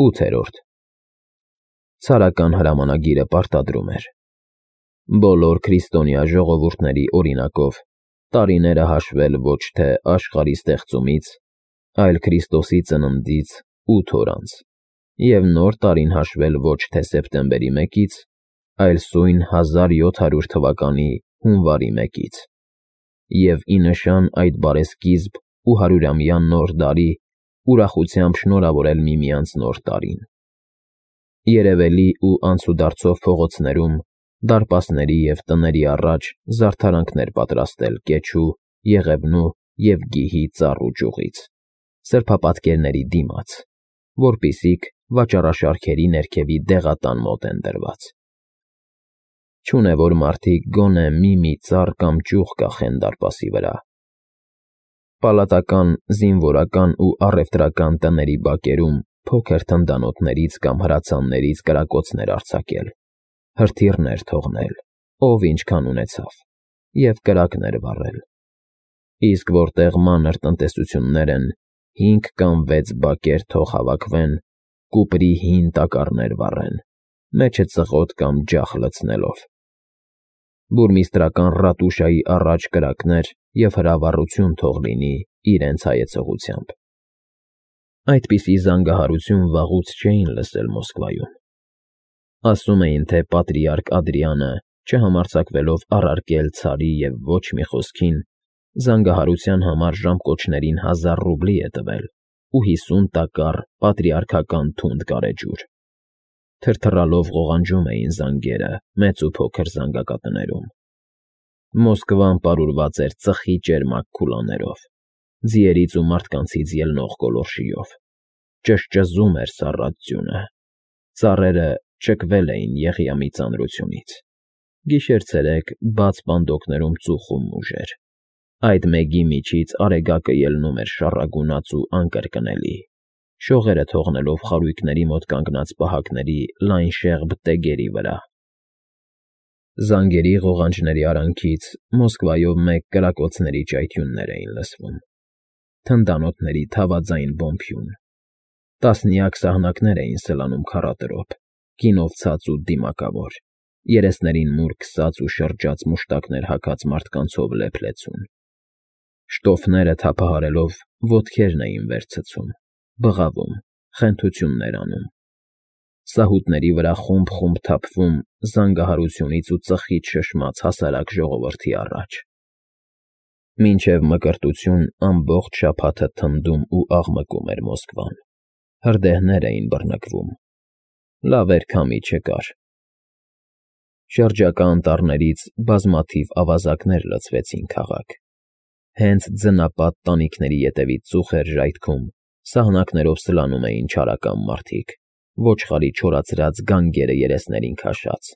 8-րդ Ցարական հրամանագիրը պարտադրում էր. բոլոր քրիստոնյա ժողովուրդների օրինակով տարիները հաշվել ոչ թե աշխարհի ստեղծումից, այլ Քրիստոսի ծննդից 8 օր անց, և նոր տարին հաշվել ոչ թե սեպտեմբերի 1-ից, այլ սույն 1700 թվականի հունվարի 1-ից, և ի նշան այդ բարեսկիզբ ու հարյուրամյա նոր դարի ուրախությամբ շնորհավորել միմյանց նոր տարին։ Երևելի ու անցուդարձով փողոցներում, դարպասների և տների առաջ զարդարանքներ պատրաստել կեչու, եղևնու և գիհի ծառ ու ճյուղից, սրբապատկերների դիմաց, որպիսիք վաճառաշարքերի ներքևի դեղատան մոտ են դրված։ Չունե որ մարդիկ գոնե մի ծառ կամ ճյուղ կախեն դարպասի վրա։ Պալատական, զինվորական ու առևտրական տների բակերում փոքր թնդանոթներից կամ հրացաններից կրակոցներ արձակել, հրթիռներ թողնել, ով ինչքան ունեցավ, և կրակներ վառել։ Իսկ որտեղ մանր տնտեսություններ են, 5 կամ 6 բակեր թող հավաքվեն, կուպրի հին տակառներ վառեն, մեջը ծղոտ կամ ջախ լցնելով։ Բուրմիստրական ռատուշայի առաջ կրակներ և հրավառություն թող լինի իրենց հայեցողությամբ։ Այդպիսի զանգահարություն վաղուց չէին լսել Մոսկվայում։ Ասում էին, թե պատրիարք Ադրիանը, չհամարձակվելով առարկել Ցարի և ոչ մի խոսքին, զանգահարության համար ժամկոչներին 1000 ռուբլի է տվել ու 50 տակառ պատրիարքական թունդ գարեջուր։ Թրթռալով ղողանջում էին զանգերը մեծ ու փոքր զանգակատներում։ Մոսկվան պարուրված էր ծխի ճերմակ քուլաներով, ձիերից ու մարդկանցից ելնող գոլորշիով։ Ճզճզում էր սառած ձյունը։ Ծառերը ճկվել էին Եղիամի ծանրությունից։ Գիշեր֊ցերեկ բաց պանդոկներում ծուխում ուժեր։ Այդ մեկի միջից արեգակը ելնում էր շառագունած ու անկրկնելի, շողերը թողնելով խարույկների մոտ կանգնած պահակների լայն շեղբ տեգերի վրա։ Զանգերի ղողանջների արանքից Մոսկվայով մեկ կրակոցների ճայթյուններ էին լսվում, թնդանոթների թավաձայն բոմփյուն։ Տասնյակ սահնակներ էին սլանում քառատրոփ, գինով ցած ու դիմակավոր, երեսներին մուր քսած ու շրջած մուշտակներ հագած մարդկանցով լեփ֊լեցուն։ Շտոֆները թափահարելով ոտքերն էին վեր ցցում, բղավում, խենթություններ անում։ Սահուտների վրա խումբ թափվում զանգահարությունից ու ծխից շշմած հասարակ ժողովրդի առաջ։ Մինչև Մկրտություն ամբողջ շաբաթը թնդում ու աղմկում էր Մոսկվան, հրդեհներ էին բռնկվում։ Լավ էր քամի չկար։ Շրջակա անտառներից բազմաթիվ ավազակներ լցվեցին քաղաք։ Հենց ձնապատ տանիքների ետևից ծուխ էր ժայթքում, սահնակներով սլանում էին չարական մարդիկ, ոչխարի չորացրած գանգերը երեսներին քաշած,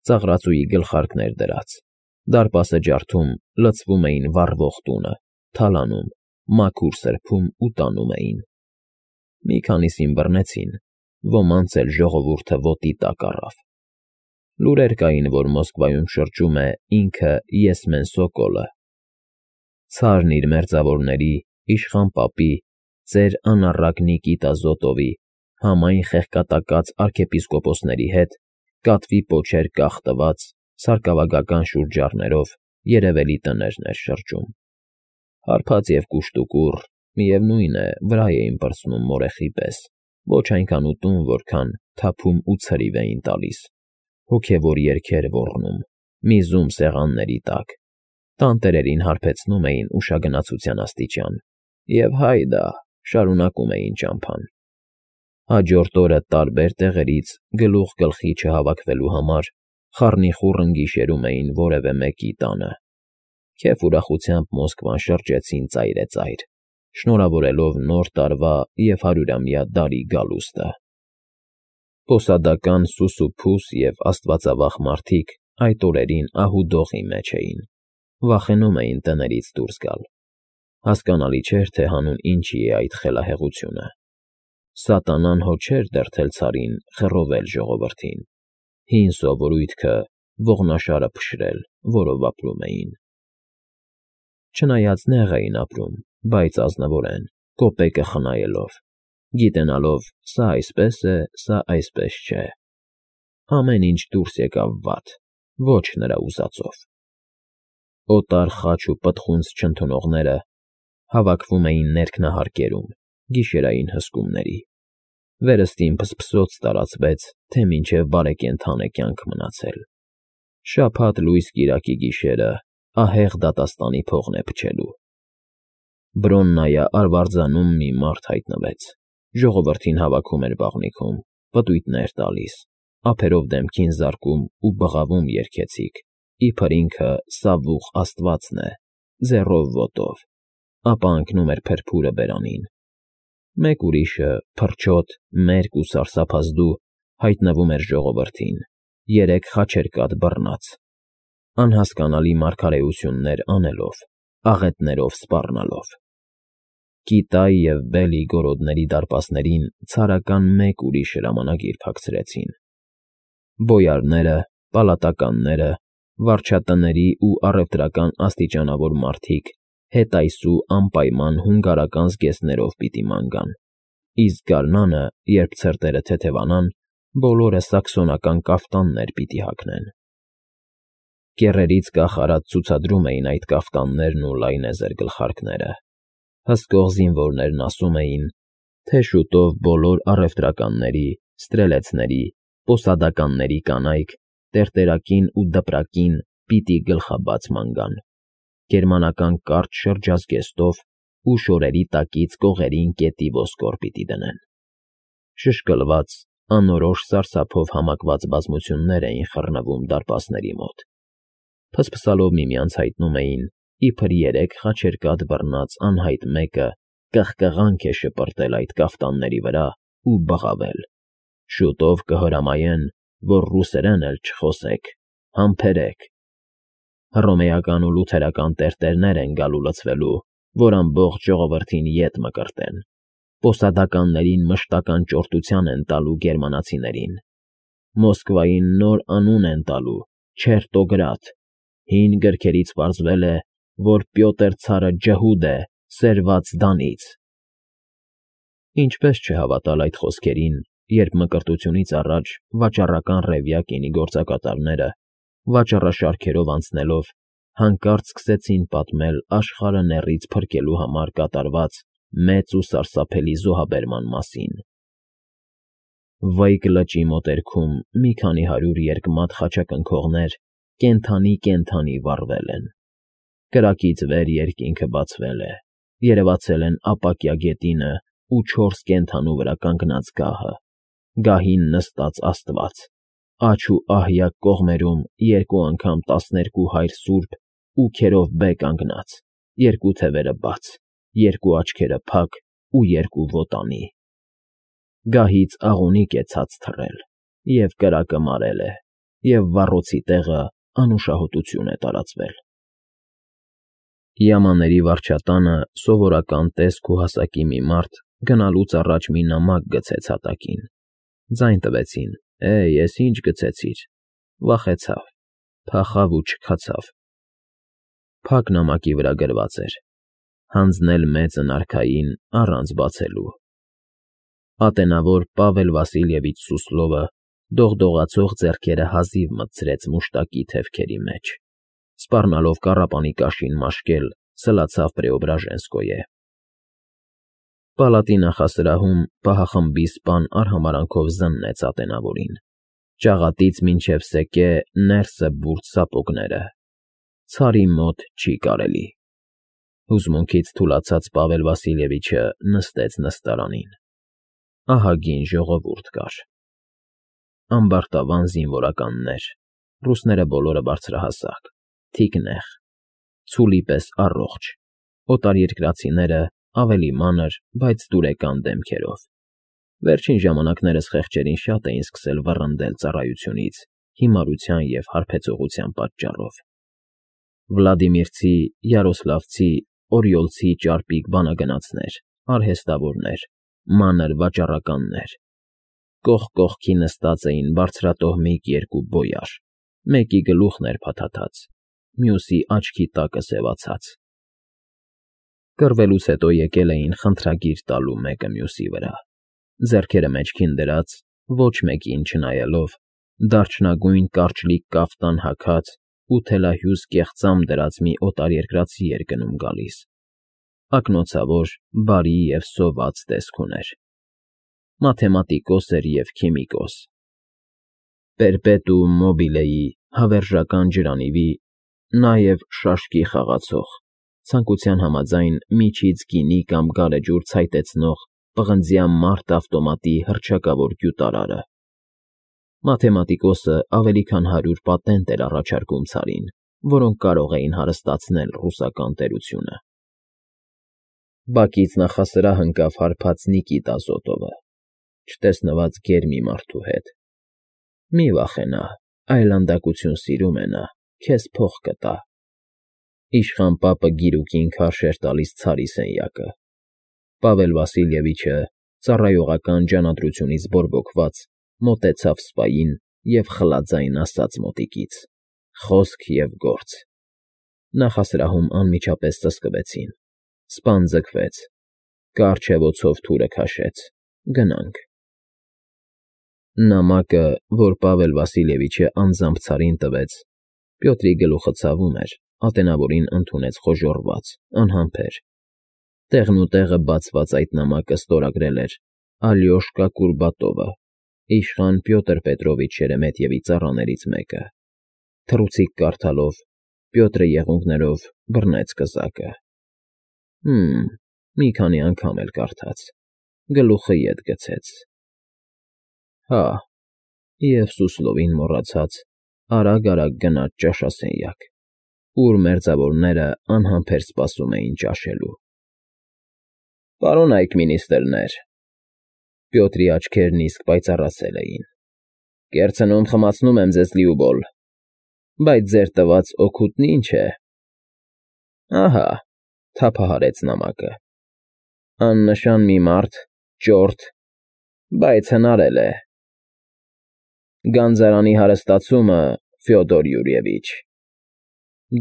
ծաղրածուի գլխարկներ դրած, դարպասը ջարդում լցվում էին վառվող տունը, թալանում, մաքուր սրբում ու տանում էին։ Մի քանիսին բռնեցին, ոմանց էլ ժողովուրդը ոտի տակ առավ։ Լուրեր կային, որ Մոսկվայում շրջում է ինքը Եսմեն Սոկոլը, Ցարն իր մերձավորների, իշխան պապի, ծեր անառակ Նիկիտա Զոտովի, համայն խեղկատակած արքեպիսկոպոսների հետ կատվի պոչեր կախ տված, սարկավագական շուրջառներով երևելի տներն էր շրջում։ Հարբած և կուշտուկուռ, միևնույն է, վրա էին պրծնում մորեխի պես, ոչ այնքան ուտում, որքան թափում ու ցրիվ էին տալիս, հոգևոր երգեր ոռնում, միզում սեղանների տակ, տանտերերին հարբեցնում էին ուշագնացության աստիճան և հայդա շարունակում էին ճամփան։ Հաջորդ օրը տարբեր տեղերից գլուխ գլխի չհավաքվելու համար խառնիխուռն գիշերում էին որևէ մեկի տանը։ Քեֆ ուրախությամբ Մոսկվան շրջեցին ծայրեծայր, շնորհավորելով նոր տարվա և հարյուրամյա դարի գալուստը։ Պոսադական սուսուփուս և աստվածավախ մարդիկ այդ օրերին ահուդոխի մեջ էին, վախենում էին տներից դուրս գալ։ Հասկանալի չէր, թե հանուն ինչի է այդ խելահեղությունը։ Սատանան հո չէր դրդել Ցարին խռովել ժողովրդին, հին սովորույթքը ողնաշարը փշրել, որով ապրում էին։ Չնայած նեղ էին ապրում, բայց ազնվորեն, կոպեկը խնայելով, գիտենալով սա այսպես է, սա այսպես չէ։ Ամեն ինչ դուրս եկավ վատ, ոչ նրա ուզածով։ Օտար խաչ ու պտղունց չընդունողները հավաքվում էին ներքնահարկերում, գիշերային հսկումների։ Վերստին փսփսոց տարածվեց, թե մինչև բարեկենդան է կյանք մնացել։ Շաբաթ լույս կիրակի գիշերը ահեղ դատաստանի փողն է փչելու։ Բրոննայա արվարձանում մի մարդ հայտնվեց, ժողովրդին հավաքում էր բաղնիքում, պտույտներ տալիս, ափերով դեմքին զարկում ու բղավում երգեցիկ, իբր ինքը սավուխ աստվածն է, ձեռով ոտով, ապա ընկնում էր փրփուրը բերանին։ Մեկ ուրիշը, փրչոտ, մերկ ու սարսափազդու, հայտնվում էր ժողովրդին, 3 խաչերկատ բռնած, անհասկանալի մարգարեություններ անելով, աղետներով սպառնալով։ Կիտայի և Բելի գորոդների դարպասներին ցարական մեկ ուրիշ հրամանագիր փակցրեցին։ Բոյարները, պալատականները, վարչատների ու առևտրական աստիճանավոր մարդիկ հետայսու անպայման հունգարական զգեստներով պիտի ման գան, իսկ գարնանը, երբ ցրտերը թեթևանան, բոլորը սաքսոնական կաֆտաններ պիտի հագնեն։ Կեռերից կախարած ցուցադրում էին այդ կաֆտաններն ու լայնեզր գլխարկները։ Հսկող զինվորներն ասում էին, թե շուտով բոլոր առևտրականների, ստրելեցների, պոսադականների կանայք տերտերակին ու դպրակին պիտի գլխաբաց ման գան, գերմանական կարճ շրջազգեստով ու շորերի տակից կողերին կետի ոսկոր պիտի դնեն։ Շշկլված, անորոշ սարսափով համակված բազմություններ էին խռնվում դարպասների մոտ։ Փսփսալով միմյանց հայտնում էին, իբր 3 խաչերկատ բռնած անհայտ մեկը կղկղանք է շպրտել այդ կաֆտանների վրա ու բղավել։ Շուտով կհրամայեն, որ ռուսերեն էլ չխոսեք, համբերեք։ Հռոմեական ու լութերական տերտերներ են գալու լցվելու, որ ամբողջ ժողովրդին ետ մկրտեն։ Պոսադականներին մշտական ճորտության են տալու գերմանացիներին։ Մոսկվային նոր անուն են տալու՝ Չերտոգրադ։ Հին գրքերից պարզվել է, որ Պյոտր ցարը ջհուդ է, սերված Դանից։ Ինչպես չհավատալ այդ խոսքերին, երբ մկրտությունից առաջ վաճառական ռևյա կինի գործակատարները, վաճառաշարքերով անցնելով, հանկարծ սկսեցին պատմել աշխարհը նեռից փրկելու համար կատարված մեծ ու սարսափելի զոհաբերման մասին։ Վայք լճի մոտերքում մի քանի 100 երկմատ խաչակնքողներ կենդանի վառվել են։ Կրակից վեր երկինքը բացվել է, երևացել են ապակյա գետինը ու 4 կենդանու վրա կանգնած գահը, գահին նստած Աստված, աջ ու ահյակ կողմերում 2 անգամ 12 հայր սուրբ ու քերով բե կանգնած, 2 թևերը բաց, 2 աչքերը փակ ու 2 ոտանի։ Գահից աղունիկ է ցած թռել, և կրակը մարել է, և վառոցի տեղը անուշահոտություն է տարածվել։ Յամանների վարչատանը սովորական տեսք ու հասակի մի մարդ գնալուց առաջ մի նամակ գցեց հատակին։ Ձայն տվեցին. ես ինչ գցեցիր։ Վախեցավ, փախավ ու չքացավ։ Փակ նամակի վրա գրված էր. հանձնել մեծն արքային առանց բացելու։ Ատենավոր Պավել Վասիլևիչ Սուսլովը դողդողացող ձեռքերը հազիվ մտցրեց մուշտակի թևքերի մեջ, սպառնալով կառապանի կաշին մաշկել, սլացավ Պրեոբրաժենսկոյե։ Պալատի նախասրահում պահախմբի սպան արհամարանքով զննեց ատենավորին, ճաղատից մինչև սեկե ներսը բուրդ սապոգները։ Ցարի մոտ չի կարելի։ Հուզմունքից թուլացած Պավել Վասիլևիչը նստեց նստարանին։ Ահագին ժողովուրդ կար։ Ամբարտավան զինվորականներ, ռուսները բոլորը բարձրահասակ, թիկնեղ, ցուլի պես առողջ, օտարերկրացիները ավելի մանր, բայց դուրեկան դեմքերով։ Վերջին ժամանակներս խեղճերին շատ էին սկսել վռնդել ծառայությունից, հիմարության և հարբեցողության պատճառով։ Վլադիմիրցի, Յարոսլավցի, Օրիոլցի ճարպիկ բանագնացներ, արհեստավորներ, մանր վաճառականներ։ Կողք կողքի նստած էին բարձրատոհմիկ 2 բոյար, մեկի գլուխն էր փաթաթած, մյուսի աչքի տակը սևացած։ Կռվելուց հետո եկել էին խնդրագիր տալու մեկը մյուսի վրա։ ձեռքերը մեջքին դրած, ոչ մեկին չնայելով, դարչնագույն կարճլիկ կաֆտան հագած ու թելահյուս կեղծամ դրած մի օտարերկրացի էր գնում֊գալիս, ակնոցավոր, բարի և սոված տեսք ուներ. մաթեմատիկոս էր և քիմիկոս, պերպետուում մոբիլեի հավերժական ջրանիրի, նաև շաշկի խաղացող, ցանկության համաձայն միջից գինի կամ գարեջուր ցայտեցնող պղնձյա մարդ ավտոմատի հռչակավոր գյուտարարը։ Մաթեմատիկոսը ավելի քան 100 պատենտ էր առաջարկում ցարին, որոնք կարող էին հարստացնել ռուսական տերությունը։ Բակից նախասրահ ընկավ հարբած Նիկիտ Ազոտովը, չտեսնված գեր մի մարդու հետ։ Մի վախենա, այլանդակություն սիրում է նա, քեզ փող կտա։ Իշխան պապը գիրուկին քարշ էր տալիս ցարի սենյակը։ Պավել Վասիլևիչը, ծառայողական ջանադրությունից բորբոքված, մոտեցավ սպային և խլաձայն ասաց մոտիկից. խոսք և գործ։ Նախասրահում անմիջապես ծածկվեցին։ Սպան ձգվեց, կառչևոցով թուրը քաշեց. գնանք։ Նամակը, որ Պավել Վասիլևիչը անձամբ ցարին տվեց, Պյոտրի գլուխը ցավում էր, ատենավորին ընդունեց խոժոռված, անհամբեր։ Տեղնուտեղը բացված այդ նամակը ստորագրել էր Ալյոշկա Կուրբատովը, իշխան Պյոտր Պետրովիչ Շերեմետյևի ծառաներից մեկը։ Թռուցիկ կարդալով, Պյոտրը եղունգներով բռնեց կզակը։ Մի քանի անգամ էլ կարդաց, գլուխը ետ գցեց։ Հա, և Սուսլովին մոռացած, արագ գնաց ճաշասենյակ, ուր մերձավորները անհամբեր սպասում էին ճաշելու։ Պարոն այգ֊մինիստրներ, Պյոտրի աչքերն իսկ պայծառացել էին, կերցնում խմացնում եմ ձեզ լիուբոլ, բայց ձեր տված օգուտն ի՞նչ է։ Ահա, թափահարեց նամակը, աննշան մի մարդ, ճորտ, բայց հնարել է։ Գանձարանի հարստացումը, Ֆյոդոր Յուրիևիչ,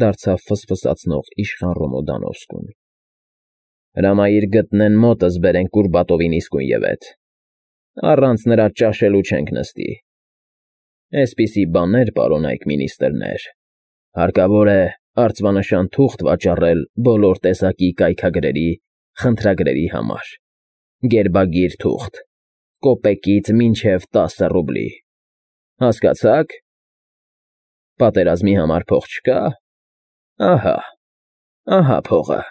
դարձավ ֆսֆսացնող իշխան Ռոմոդանովսկուն։ Հրամայիր գտնեն մոտս բերեն Կուրբատովին իսկույնևեթ, առանց նրա ճաշելու չենք նստի։ Էսպիսի բաներ, պարոն այգ֊մինիստրներ, հարկավոր է արձվանշան թուղթ վաճառել բոլոր տեսակի կայքագրերի, խնդրագրերի համար, գերբագիր թուղթ, կոպեկից մինչև 10 ռուբլի։ Հասկացա՞ք։ Պատերազմի համար փող չկա։ Ահա փողը։